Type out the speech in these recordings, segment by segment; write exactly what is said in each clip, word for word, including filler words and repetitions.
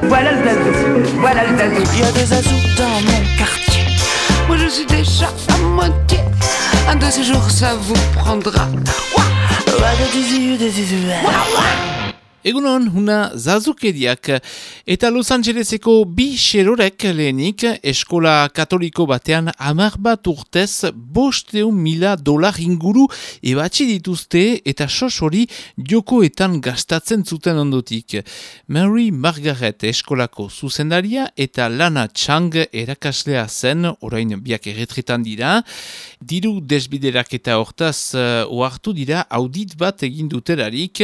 Voilà le zazou, voilà le zazou. Il y a des zazous dans mon quartier. Moi je suis déjà à moitié. Un de ces jours ça vous prendra. Egunon, huna zazukeriak, eta Los Angeleseko bi xerorek lehenik eskola katoliko batean hamar bat urtez bosteun mila dolar inguru ebatzi dituzte eta sos hori jokoetan gastatzen zuten ondotik. Mary Margaret eskolako zuzendaria eta Lana Chang erakaslea zen, orain biak erretretan dira, diru desbiderak eta hortaz uh, ohartu dira audit bat egin dutelarik,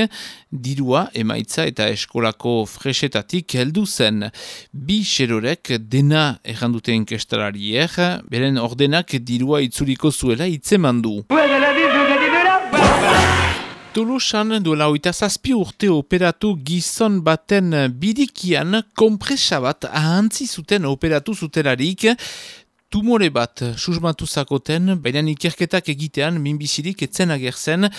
dirua emaitza eta eskolako fresetatik heldu zen. Bi xerorek dena errandute inkestalariek, beren ordenak dirua itzuliko zuela itzemandu. Tolosan duela oita zazpi urte operatu gizon baten birikian konpresa bat ahantzi zuten operatu zutelarik, tumore bat susmatu zakoten, baina ikerketak egitean minbizirik etzen agertzen,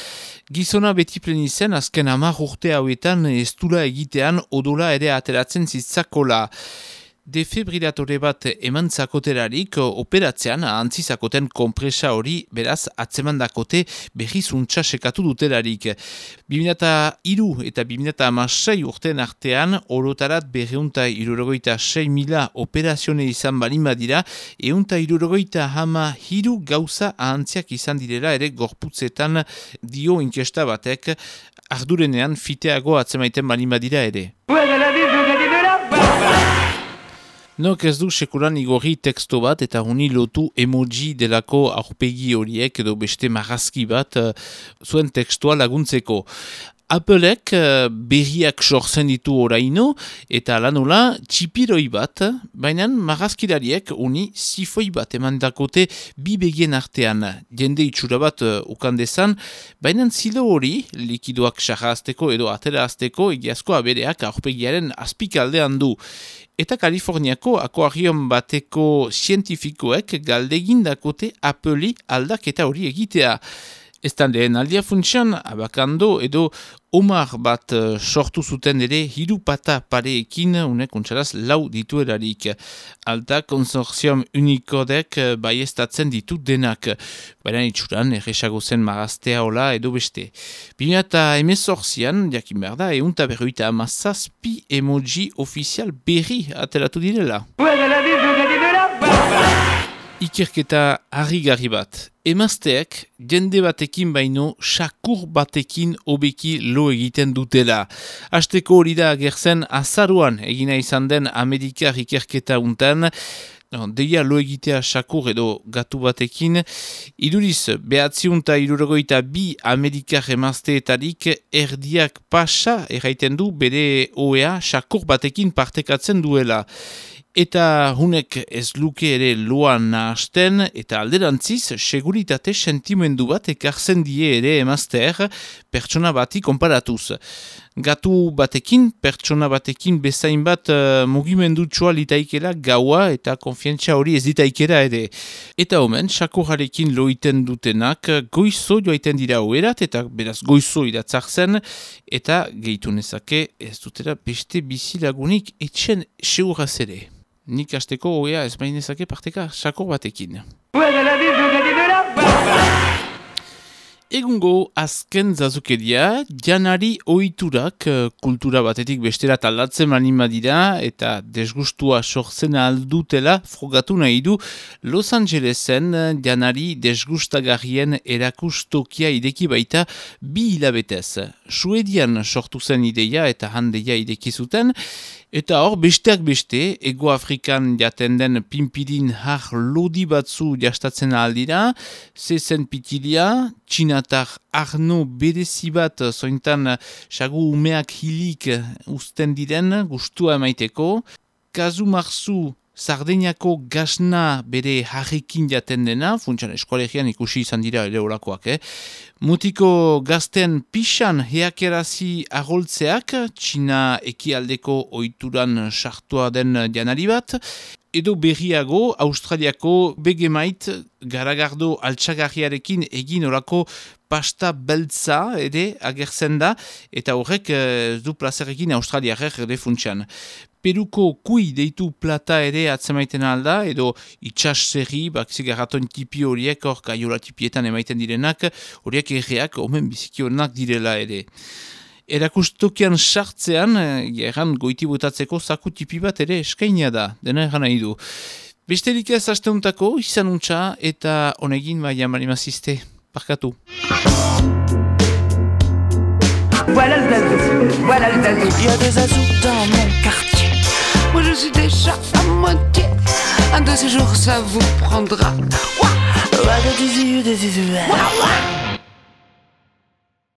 gizona beti pleni zen azken hamar urte hauetan estula egitean odola ere ateratzen zitzakola. Defibrilatore bat eman zakoterarik operatzean ahantzi zakoten konpresa hori beraz atzemandakote berrizuntza sekatu dutelarik. bi mila hiru eta bi mila hamasei urteen artean orotarat berreunta hirurogeita sei mila operazione izan balin badira, ehunta hirurogeita hama hiru gauza ahantziak izan direla ere gorputzetan dio inkesta batek, ardurenean fiteago atzemaiten balin badira ere. Nok ez du sekuran igorri teksto bat eta honi lotu emoji delako aurpegi horiek edo beste marrazki bat uh, zuen tekstua laguntzeko. Applek uh, berriak sortzen ditu oraino eta lanola txipiroi bat, baina marrazkilariek honi zifoi bat eman dakote bi begien artean. Jende itxura bat uh, ukandezan, baina zilo hori likidoak sarrazteko edo aterazteko egiazko abereak aurpegiaren azpikaldean du. Eta Kaliforniako akuarion bateko zientifikoek galdegin dakote Appleri aldaketa hori egitea. Eztan lehen aldia funtsian, abakando edo Omar bat uh, sortu zuten ere hiru pata pareekin unek untxaraz lau dituelarik. Alta konsorzium unikodek uh, baiestatzen ditu denak. Baina itxuran erresago zen maraztea hola edo beste. bi mila hemezortzian, jakin behar da, eunta berroita amazazpi emoji ofizial berri ateratu direla. Ikerketa harrigarri bat. Emazteak jende batekin baino sakur batekin hobeki lo egiten dutela. Hasteko hori da agertzen azaruan egina izan den Amerikar ikerketa untan, no, deia lo egitea sakur edo gatu batekin, iduriz behatziunta irurogoita bi Amerikar emazteetarik erdiak pasa erraiten du bere oea sakur batekin partekatzen duela. Eta hunek ez luke ere loan nahasten eta alderantziz seguritate sentimendu bat ekartzen die ere emazteer pertsona bati konparatuz. Gatu batekin, pertsona batekin bezain bat uh, mugimendutxoa litaikela gaua eta konfientzia hori ez ditaikera ere. Eta omen, sakurrarekin loiten dutenak goizo joaiten dira oerat eta beraz goizo iratzak zen eta gehitu nezake ez dutera beste bizilagunik etxen seguraz ere. Nik hasteko oea ez bainezake parteka sakur batekin. Egungo azken zazukeria, janari ohiturak kultura batetik bestera taldatzen manima dira eta desgustua sortzen aldutela frogatu nahi du Los Angelesen janari desgustagarrien erakustokia ideki baita bi hilabetez. Suedian sortu zen ideia eta handeia ideki zuten, eta hor besteak beste, Ego Afrikan jaten den pinpidin har lodi batzu jastatzen aldira, zezen pitilia, txinatar arno berezi bat zointan sagu umeak hilik usten diren gustua emaiteko, kazu marzu Sardeñako gasna bere harrikin jaten dena, funtsan eskolegian ikusi izan dira ere olakoak, eh? Mutiko gazten pixan heakerazi agoltzeak, Txina ekialdeko ohituran sartua den janari bat, edo berriago Australiako begemait garagardo altxagarriarekin egin orako pasta beltza ere agertzen da, eta horrek eh, du plazerekin australiarek ere funtsan. peruko kui deitu plata ere atzemaiten alda, edo itxas zerri, bak zigarraton tipi horiek, hor kaiola tipietan emaiten direnak, horiek erreak omen bizikionak direla ere. Erakustokian sartzean, gerran goiti botatzeko zaku tipi bat ere eskainia da, dena erran nahi du. Besterik ez asteuntako, izan untxa, eta honegin baina marimazizte, parkatu. Voilà le zazou, voilà le zazou. Il y a des azous dans mon quartier. Moi je suis déjà à moitié. Un de ces jours ça vous prendra. Ouah, ouah, des yeux, des yeux. Ouah, ouah.